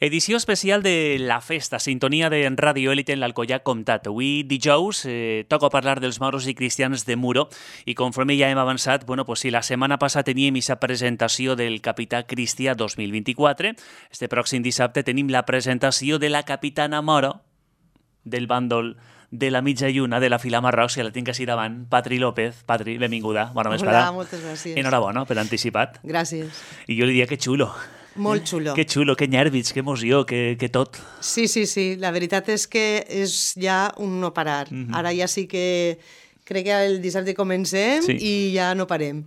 Edició especial de La Festa, sintonia de Radio Élite en l'Alcoià Comtat. Avui, dijous, toca parlar dels moros i cristians de Muro i conforme ja hem avançat, si la setmana passada teníem aquesta presentació del Capità Cristià 2024, este pròxim dissabte tenim la presentació de la Capitana Moro del bàndol de la mitja lluna de la fila Marrocs, que la tinc així davant, Patri López. Patri, benvinguda, bona vesprada. Hola, moltes gràcies. Enhorabona per anticipat. Gràcies. I jo li diria que xulo. Molt xulo. Que xulo, que nervis, que emoció, que tot. Sí. La veritat és que és ja un no parar. Ara ja sí que crec que el dissabte comencem i ja no parem.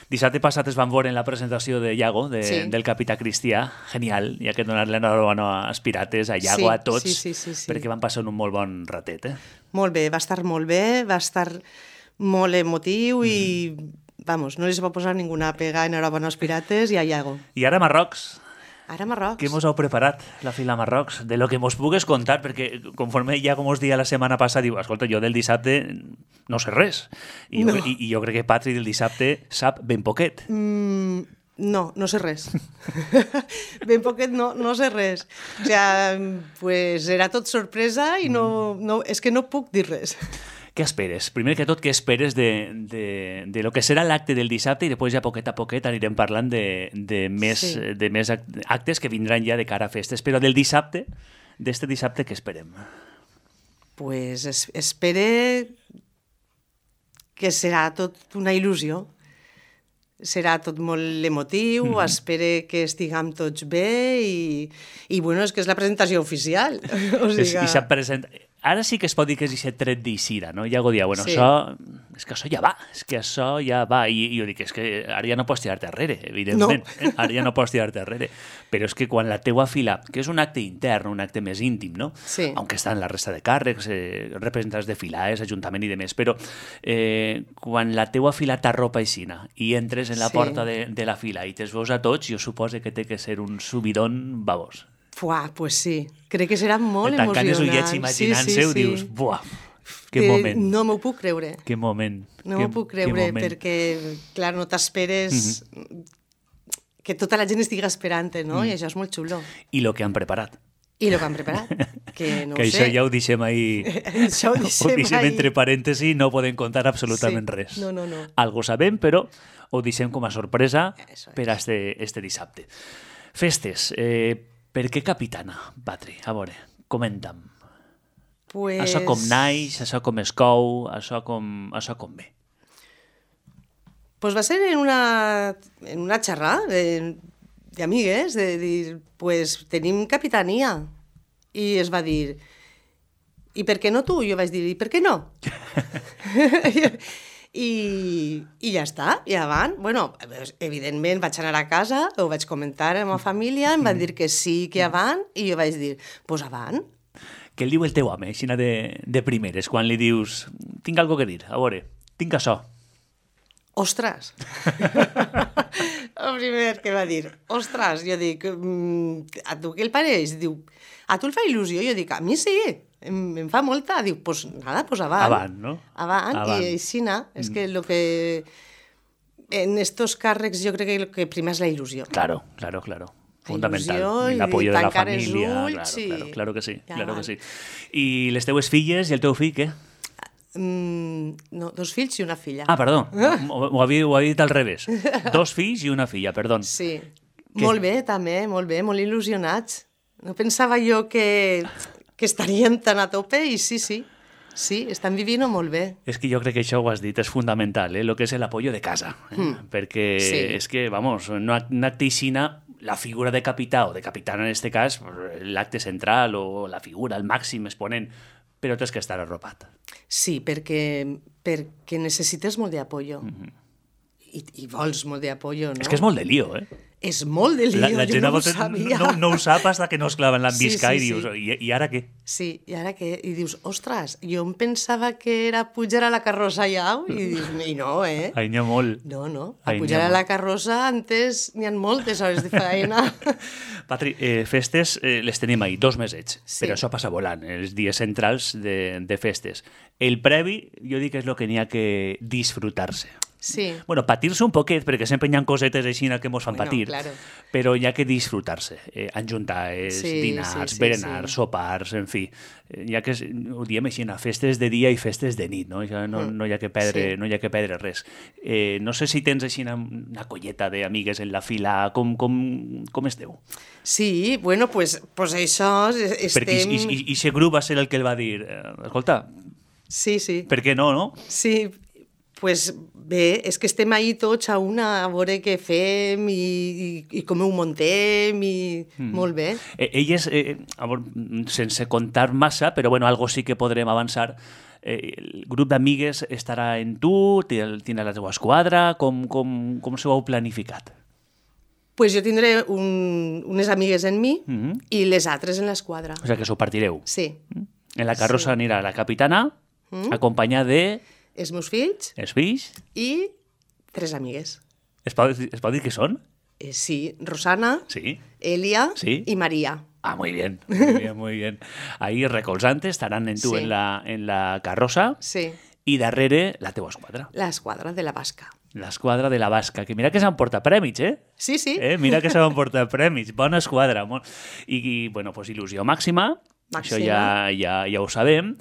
Dissabte passat es van veure en la presentació de Iago, del Capità Cristià. Genial, hi ha que donar-li enhorabona als pirates, a Iago, a tots, perquè van passar un molt bon ratet. Molt bé, va estar molt bé, va estar molt emotiu i... Vamos, no les va posar ninguna pega, enhorabona als pirates i a Iago. I ara Marrocs. Ara Marrocs. Què mos heu preparat, la fila Marrocs? De lo que mos pugues contar, perquè conforme Iago mos dia la setmana passada, diu, escolta, jo del dissabte no sé res. I jo crec que Patri del dissabte sap ben poquet. No sé res. Ben poquet no sé res. O sigui, pues era tot sorpresa i és que no puc dir res. Què esperes? Primer que tot, què esperes de lo que serà l'acte del dissabte i després ja poquet a poquet anirem parlant de més actes que vindran ja de cara a festes. Però del dissabte, d'este dissabte, què esperem? Pues espere que serà tot una il·lusió. Serà tot molt emotiu, espere que estiguem tots bé i bueno, és que és la presentació oficial. O sigui... Ara sí que es pot dir que és aquest tret d'Isira, no? Iago dia, és que això ja va, i jo dic, és que ara ja no pots tirar-te arrere, evidentment, ara ja no pots tirar-te arrere, però és que quan la teua fila, que és un acte intern, un acte més íntim, no? Sí. Aunque estan la resta de càrrecs, representants de filaes, ajuntament i demés, però quan la teua fila t'arropa aixina i entres en la porta de la fila i te'ls veus a tots, jo suposo que té que ser un subidón babós. Pues sí, crec que serà molt emocionant. Tancant els ullets imaginant-se-ho, dius, que moment. No m'ho puc creure. Que moment. No m'ho puc creure, perquè, clar, no t'esperes que tota la gent estigui esperant, no? I això és molt xulo. I el que han preparat. Que no que ho sé. Això ja ho deixem ahí. Això ho deixem entre parèntesis, no podem contar absolutament res. No. Algo sabem, però ho deixem com a sorpresa per a este dissabte. Festes. Per què capitana, Patri? A veure, comenta'm. Això com naix, això com es cou, això com ve. Pues va ser en una xerrada d'amigues, de dir, pues tenim capitania. I es va dir, i per què no tu? Jo vaig dir, i per què no? I ja està, ja van. Bueno, evidentment vaig anar a casa, ho vaig comentar amb la família, em van dir que sí, que avant, i jo vaig dir, pues avant. Què el diu el teu home, aixina de primeres, quan li dius, tinc algo que dir, a veure, tinc això. Ostres! El primer que va dir, ostres, jo dic, a tu què el pareix? Diu, a tu el fa il·lusió? Jo dic, a mi sí. Em fa molta. Diu, pues nada, pues avant. Avant, no? Avant. I aixina, és que lo que... En estos càrrecs jo crec que el que prima és la il·lusió. Claro. Fundamental. El apoyo de la familia. Claro que sí. I les teues filles i el teu fill, què? No, 2 fills i una filla. Ah, perdó, ho havia dit al revés. 2 fills i una filla, perdó. Sí, molt bé també, molt bé, molt il·lusionats. No pensava jo que estarien tan a tope i sí, estan vivint molt bé. És que jo crec que això ho has dit, és fundamental, el que és l'apoyo de casa, perquè és que, no acteixina la figura de capità o de capitana en este cas, l'acte central o la figura, el màxim exponent, però tens que estar arropat. Sí, perquè necessites molt d'apoyo. I vols molt d'apoyo, no? És que és molt de lío, És molt de lío, jo no ho sabia. No ho sap fins que no es clava en l'ambisca i dius, i ara què? Sí, i ara què? I dius, ostres, jo em pensava que era pujar a la carrossa ja, i dius, i no, Ai, n'hi ha molt. No, a pujar a la carrossa antes n'hi ha moltes hores de feina. Patri, festes les tenim ahir, 2 mesets, però això passa volant, els dies centrals de festes. El previ, jo dic que és el que n'hi ha que disfrutar-se. Sí. Bueno, patir-se un poquet, perquè sempre hi ha cosetes així que mos fan patir, claro. però hi ha que disfrutar-se. Enjuntar-se, dinars, berenars, sopars, en fi. Hi ha que, ho diem així, festes de dia i festes de nit, no? Ja no hi ha que perdre, no hi ha que perdre res. No sé si tens així una colleta d'amigues en la fila, com esteu? Sí, bueno, pues això estem... Perquè i ese grup va ser el que el va dir, escolta, sí. per què no? Sí, pues bé, és que estem ahí tots a una, a veure què fem i com ho muntem i molt bé. Elles, sense contar massa, però bueno, algo sí que podrem avançar, el grup d'amigues estarà en tu, tindrà la teva esquadra, com s'ho heu planificat? Pues jo tindré unes amigues en mi i les altres en l'esquadra. O sigui que s'ho partireu. Sí. En la carrossa anirà la capitana, acompanyada de... Els meus fills. Els fills. I 3 amigues. Es pot dir que són? Sí, Rosana, sí. Elia i Maria. Ah, muy bien, muy bien. Ahí recolzantes estarán en tu en la carroza. Sí. I darrere la teua esquadra. L'esquadra de la Basca. L'esquadra de la Basca, que mira que s'emporta prèmits, eh? Sí. Mira que s'emporta prèmits. Bona esquadra. I bueno, pues il·lusió màxima. Això ja ho sabem.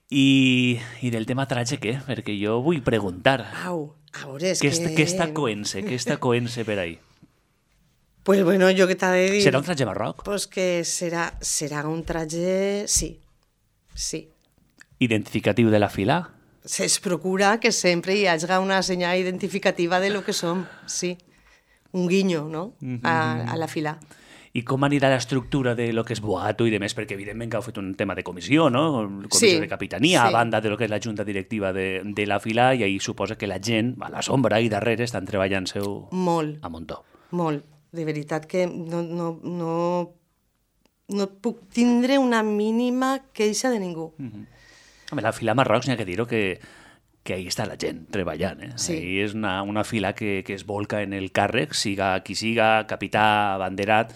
I del tema tratge, què? Perquè jo vull preguntar. Au, a veure, és què està coent-se per ahí? Pues bueno, jo què t'ha de dir... Serà un tratge barroc? Pues que serà un tratge... Sí. Identificatiu de la fila? Es procura que sempre hi hagi una senyal identificativa de lo que som, sí. Un guinyo, no?, a la fila. I com anirà l'estructura de lo que és boato i demés? Perquè evidentment que heu fet un tema de comissió, no? Comissió de capitania, a banda de lo que és la junta directiva de la fila, i ahí suposa que la gent, a la sombra i darrere, estan treballant-seu a muntó. Molt. De veritat que no puc tindre una mínima queixa de ningú. Home, la fila Marrocs, n'hi ha que dir-ho, que ahí està la gent treballant. Sí. Ahí és una fila que es volca en el càrrec, siga qui siga, capità, banderat,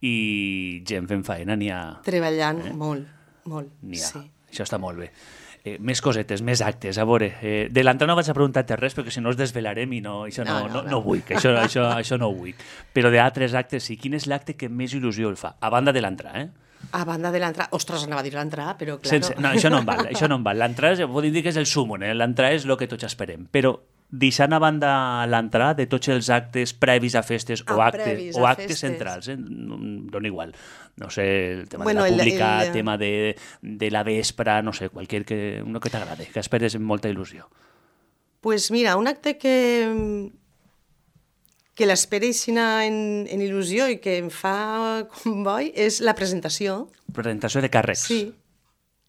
i gent fent faena n'hi ha... Treballant molt. N'hi ha. Sí. Això està molt bé. Més cosetes, més actes. A veure, de l'entrada no vaig a preguntar-te res perquè si no els desvelarem i això no vull, que això no ho vull. Però d'altres actes sí. Quin és l'acte que més il·lusió el fa? A banda de l'entrada, A banda de l'entrada... Ostres, anava a dir l'entrada, però claro... No, això no em val. L'entrada, podem dir que és el súmum, l'entrada és el que tots esperem. Però deixant a banda l'entrada de tots els actes previs a festes o actes centrals, dona igual. No sé, el tema de la pública, el tema de la vespra, no sé, uno que t'agrade, que esperes amb molta il·lusió. Pues mira, un acte que l'espereixin en il·lusió i que em fa com boi és la presentació. Presentació de càrrecs.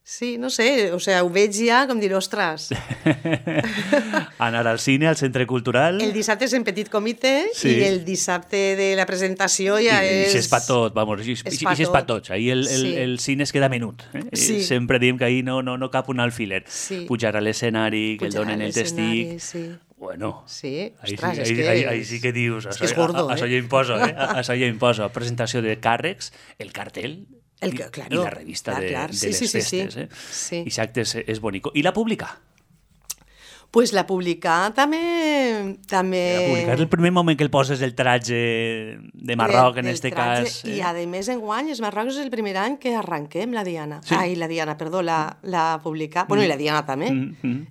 Sí, no sé, o sea, ho veig ja com dir, ostres. Anar al cine, al centre cultural... El dissabte és en petit comitè i el dissabte de la presentació ja és... I és per tot, vamos, i és per tots. Ahí el cine es queda menut. Sempre diem que ahí no cap un alfiler. Pujar a l'escenari, que el donen el testic... Bueno, sí, ostres, és que... Ahí sí que dius... És gordo, Això ja imposa, Això ja imposa. Presentació de càrrecs, el cartell... Claro, i la revista de les festes. Sí. I l'acte és bonic. I la pública? Pues la publicar també... La publicar és el primer moment que el poses el tratge de Marroc, en este cas. I a més, enguany, els Marroc és el primer any que arranquem la Diana. La publicar. Bueno, i la Diana també.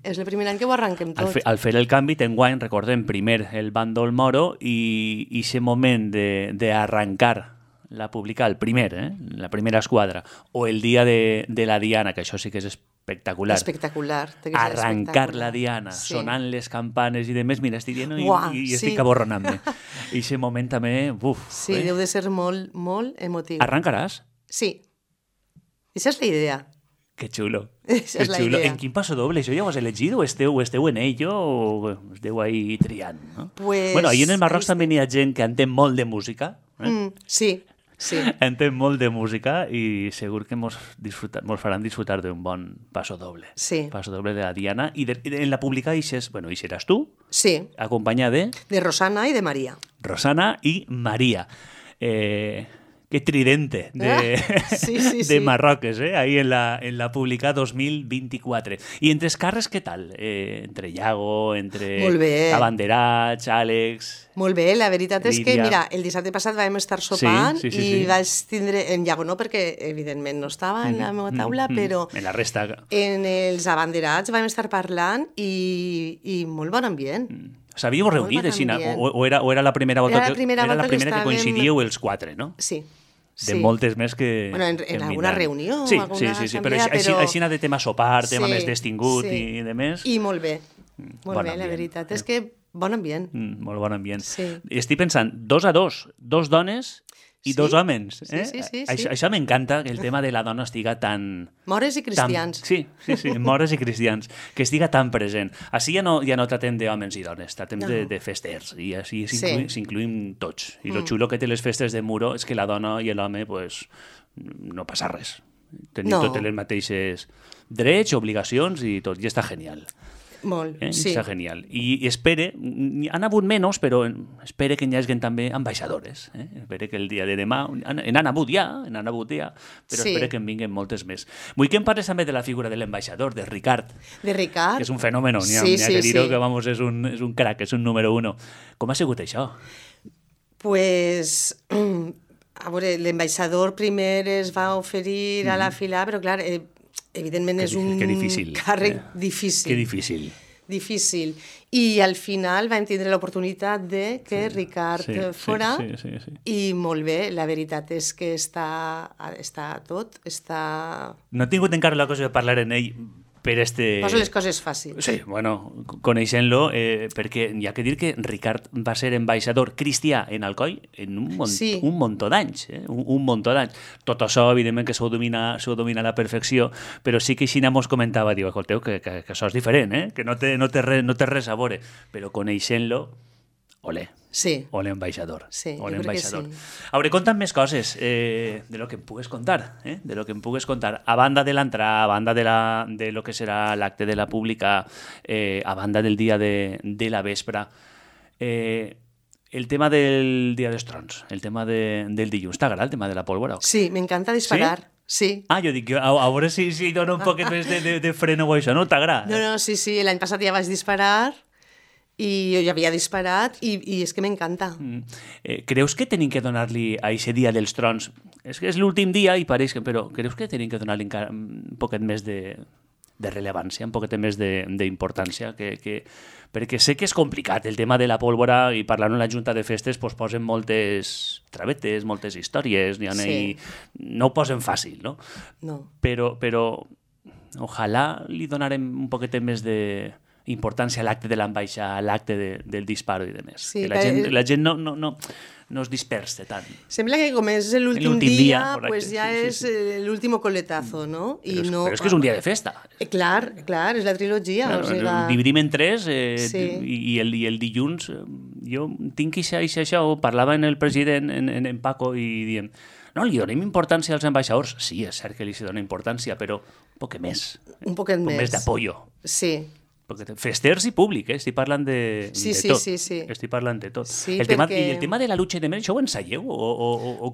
És el primer any que ho arranquem tot. Al fer el canvi, enguany, recordem, primer el bàndol moro i aquest moment d'arrancar la publicar el primer, la primera esquadra, o el dia de la Diana, que això sí que és espectacular. Arrancar la Diana, sonant les campanes i demés, mira, estic dient i estic aborronant-me. I aquest moment també, Sí, deu de ser molt, molt emotiu. Arrancaràs? Sí. Aquesta és la idea. Que xulo. Esa és la idea. En quin passo doble? Això ja ho has elegit o esteu en ello o esteu ahí triant? No? Bueno, ahí en el Marroc també hi ha gent que entén molt de música. Sí. Entén molt de música i segur que mos faran disfrutar d'un bon passo doble. Sí. Passo doble de la Diana. I en la pública hi seràs tu? Sí. Acompanyada de... De Rosana i de Maria. Rosana i Maria. Qué tridente de Marroques, ahí en la Pública 2024. I entre els càrrecs, què tal? Entre Iago, entre Abanderats, Àlex... Molt bé, la veritat és que, mira, el dissabte passat vam estar sopant i vaig tindre... En Iago no, perquè evidentment no estava en la meva taula, però... En la resta... En els Abanderats vam estar parlant i molt bon ambient. S'havíeu reunit, així, o era la primera volta que coincidíeu els quatre, no? Sí. De moltes més que... Bueno, en alguna reunió, sí, alguna assemblea, però així de tema sopar, tema més destingut i de més... I molt bé, molt bé, la veritat és que bon ambient. Molt bon ambient. Estic pensant, 2-2, 2 dones i 2 homes. Sí. Això m'encanta, que el tema de la dona estiga tan... Mores i cristians. Sí, mores i cristians, que estiga tan present. Així ja no tratem d'homes i dones, tratem de festers, i així s'incluïm tots. I lo xulo que té les festes de Muro és que la dona i l'home, pues, no passa res. Tenim totes les mateixes drets, obligacions i tot, i està genial. Molt, sí. Està genial. I espere, han hagut menys, però espere que n'hi hagi també ambaixadores. Espere que el dia de demà, n'han hagut ja, però espere que en vinguin moltes més. Vull que em parles també de la figura de l'ambaixador, de Ricard. De Ricard. Que és un fenomen, n'hi ha que dir-ho, que vamos, és un crac, és un número 1. Com ha sigut això? Pues... A veure, l'ambaixador primer es va oferir a la fila, però clar... Evidentment és un càrrec difícil. Que difícil. Difícil. I al final vam tindre l'oportunitat de que Ricard fora i molt bé, la veritat és que està tot, està... No he tingut encara la cosa de parlar en ell per este... Posa les coses fàcils. Sí, bueno, coneixent-lo, perquè hi ha que dir que Ricard va ser ambaixador cristià en Alcoi en un muntó d'anys, un muntó d'anys. Tot això, evidentment, que s'ho domina a la perfecció, però sí que Xina mos comentava, diu, escolteu, que això és diferent, que no té res a veure, però coneixent-lo, olé. Sí. O l'ambaixador. Sí, o jo crec que sí. Hauré contat més coses de lo que em pugues contar, de lo que em pugues contar. A banda de l'entrada, a banda de lo que serà l'acte de la Pública, a banda del dia de la vespra, el tema del Dia dels Trons, el tema del dilluns. T'agrada el tema de la pólvora? Sí, m'encanta disparar. Sí. Jo dic, a veure si dona un poquet més de freno o això, no? T'agrada? No, sí, l'any passat ja vaig disparar i jo ja havia disparat i és que m'encanta. Creus que tenim que donar-li a aquest dia dels trons? És que és l'últim dia i pareix que... Però creus que tenim que donar-li encara un poquet més de rellevància, un poquet més d'importància? Perquè sé que és complicat el tema de la pólvora i parlant en la Junta de Festes pues, posen moltes travetes, moltes històries, no ho posen fàcil, no? No. Però ojalà li donarem un poquet més de... importància a l'acte de l'ambaixada, a l'acte del disparo i demés. Sí, que la gent no es dispersa tant. Sembla que com és l'últim dia, pues ja és l'últim coletazo, no? Però és que és un dia de festa. Clar, és la trilogia. Dividim en 3 i el dilluns jo tinc això, parlava en el president, en Paco, i diem, no, li donem importància als ambaixadors. Sí, és cert que li dona importància, però un poquet més. Un poquet més. Més d'apollo. Sí. Festers i públic, estic parlant de tot. Sí. Estic parlant de tot. Sí, el tema de la lucha de més, això ho ensaieu?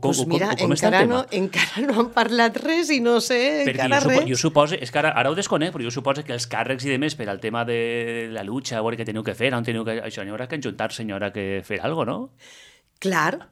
Pues mira, com està el tema? Encara no han parlat res i no sé encara res. Jo suposo, és que ara ho desconec, però jo suposo que els càrrecs i demés per al tema de la lucha, a veure què teniu que fer, on teniu que... Això n'hi haurà que enjuntar-se, n'hi haurà que fer alguna cosa, no? Clar,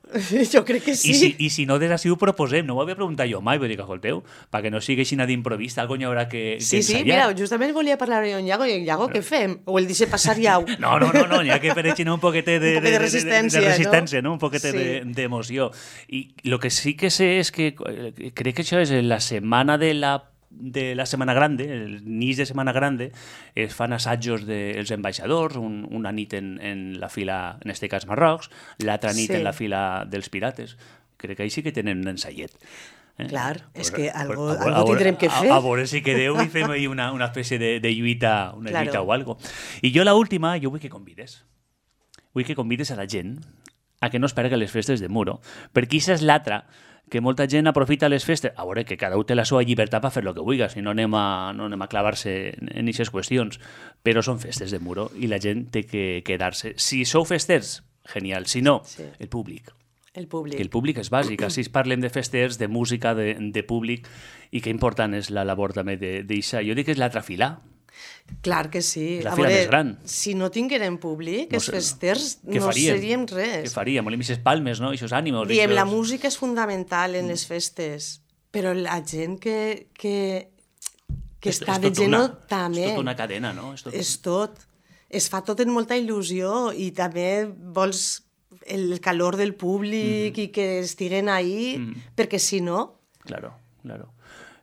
jo crec que sí. I si no, des d'ací ho proposem. No m'ho havia preguntat jo mai, vull dir que, escolteu, perquè no sigui així d'improvista, alguna n'hi haurà que ensayar. Sí, mira, justament volia parlar amb Iago, i Iago, què fem? O el deixe passar ja? No, n'hi ha que fer així un poquet de resistència, no? Un poquet d'emoció. I el que sí que sé és que crec que això és la setmana de la Setmana Grande, el nit de Setmana Grande, es fan assajos dels ambaixadors, una nit en la fila, en este cas Marrocs, l'altra nit en la fila dels pirates. Crec que ahí sí que tenen un ensaiet. Clar, és que algo tindrem que fer. A veure si quedeu i fem ahí una espècie de lluita, lluita o algo. I jo l'última, jo vull que convides. Vull que convides a la gent a que no es perga les festes de Muro, perquè això és l'altra, que molta gent aprofita les festes, a veure, que cada un té la seva llibertat per fer el que vulgui, si no anem a clavar-se en aquestes qüestions, però són festes de Muro i la gent té que quedar-se. Si sou festers, genial, si no, el públic. El públic. Que el públic és bàsic. Així parlem de festes, de música, de públic, i que important és la labor també d'això. Jo dic que és l'altra fila. Clar que sí. És la fila més gran. Si no tinguérem públic, els festers Què no faríem? seríem res. Què faríem? Volem aquestes palmes, no? Aquests ànimos. Diem, la música és fundamental en les festes, però la gent que està veient també... És tota una cadena, no? És tot. Es fa tot en molta il·lusió i també vols el calor del públic i que estiguen ahí, perquè si no... Claro.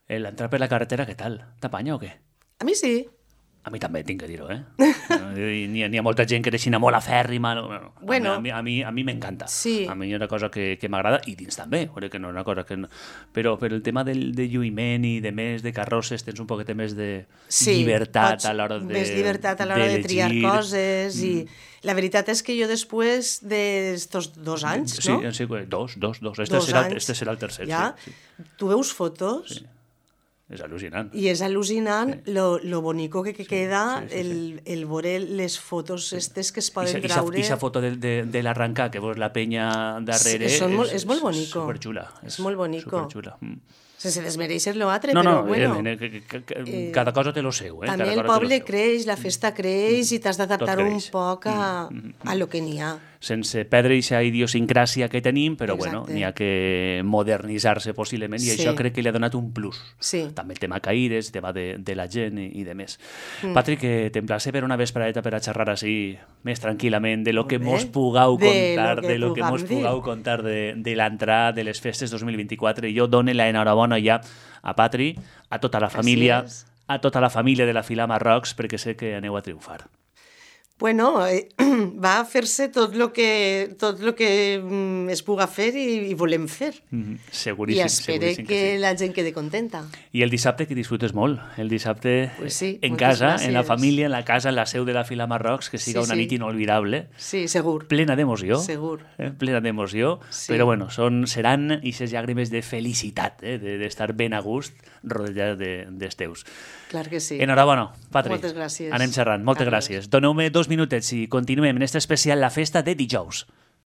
L'entrar per la carretera, què tal? T'apanya o què? A mi sí. A mi també, tinc que dir-ho, eh? N'hi ha molta gent que deixina molt afèrrima. Bueno, a mi m'encanta. Sí. A mi és una cosa que m'agrada, i dins també, que no és una cosa que... No... Però el tema de lluïment i de més de carrosses, tens un poquet més de llibertat a l'hora de... Més llibertat a l'hora de triar coses i... La veritat és que jo després d'estos 2 anys, no? Sí, dos. Este serà el tercer. Ja? Sí. Tu veus fotos... Sí. És al·lucinant. I és al·lucinant lo bonico que queda el veure les fotos estes que es poden traure. I la foto de l'arrencar, que veus la penya darrere, és molt bonico. Superxula. És molt bonico. Superxula. Sense desmereixer l'altre, però bueno... Cada cosa té lo seu. També el poble creix, la festa creix i t'has d'adaptar un poc a lo que n'hi ha. Sense perdre aquesta idiosincràsia que tenim, però bueno, n'hi ha que modernitzar-se possiblement i això crec que li ha donat un plus. Sí. També el tema caires, el tema de la gent i de més. Patrick, t'emplace per una vesperadeta per a xerrar així més tranquil·lament de lo que mos pugueu contar, de lo que mos pugueu contar de l'entrada de les festes 2024. I jo dono l'enhorabona ja a Patri, a tota la família, a tota la família de la Fila Marrocs, perquè sé que aneu a triomfar. Bueno, va a fer-se tot lo que es puga fer i volem fer. Seguríssim. I espero que la gent quede contenta. I el dissabte que disfrutes molt. El dissabte en casa, en la família, en la casa, en la seu de la Fila Marrocs, que siga una nit inolvidable. Sí, segur. Plena d'emoció. Segur. Plena d'emoció. Però bueno, seran aquestes llàgrimes de felicitat, d'estar ben a gust rodejat dels teus. Clar que sí. Enhorabona, Patri. Moltes gràcies. Anem xerrant. Moltes gràcies. Doneu-me 2 minutets i continuem en este especial La Festa de dijous.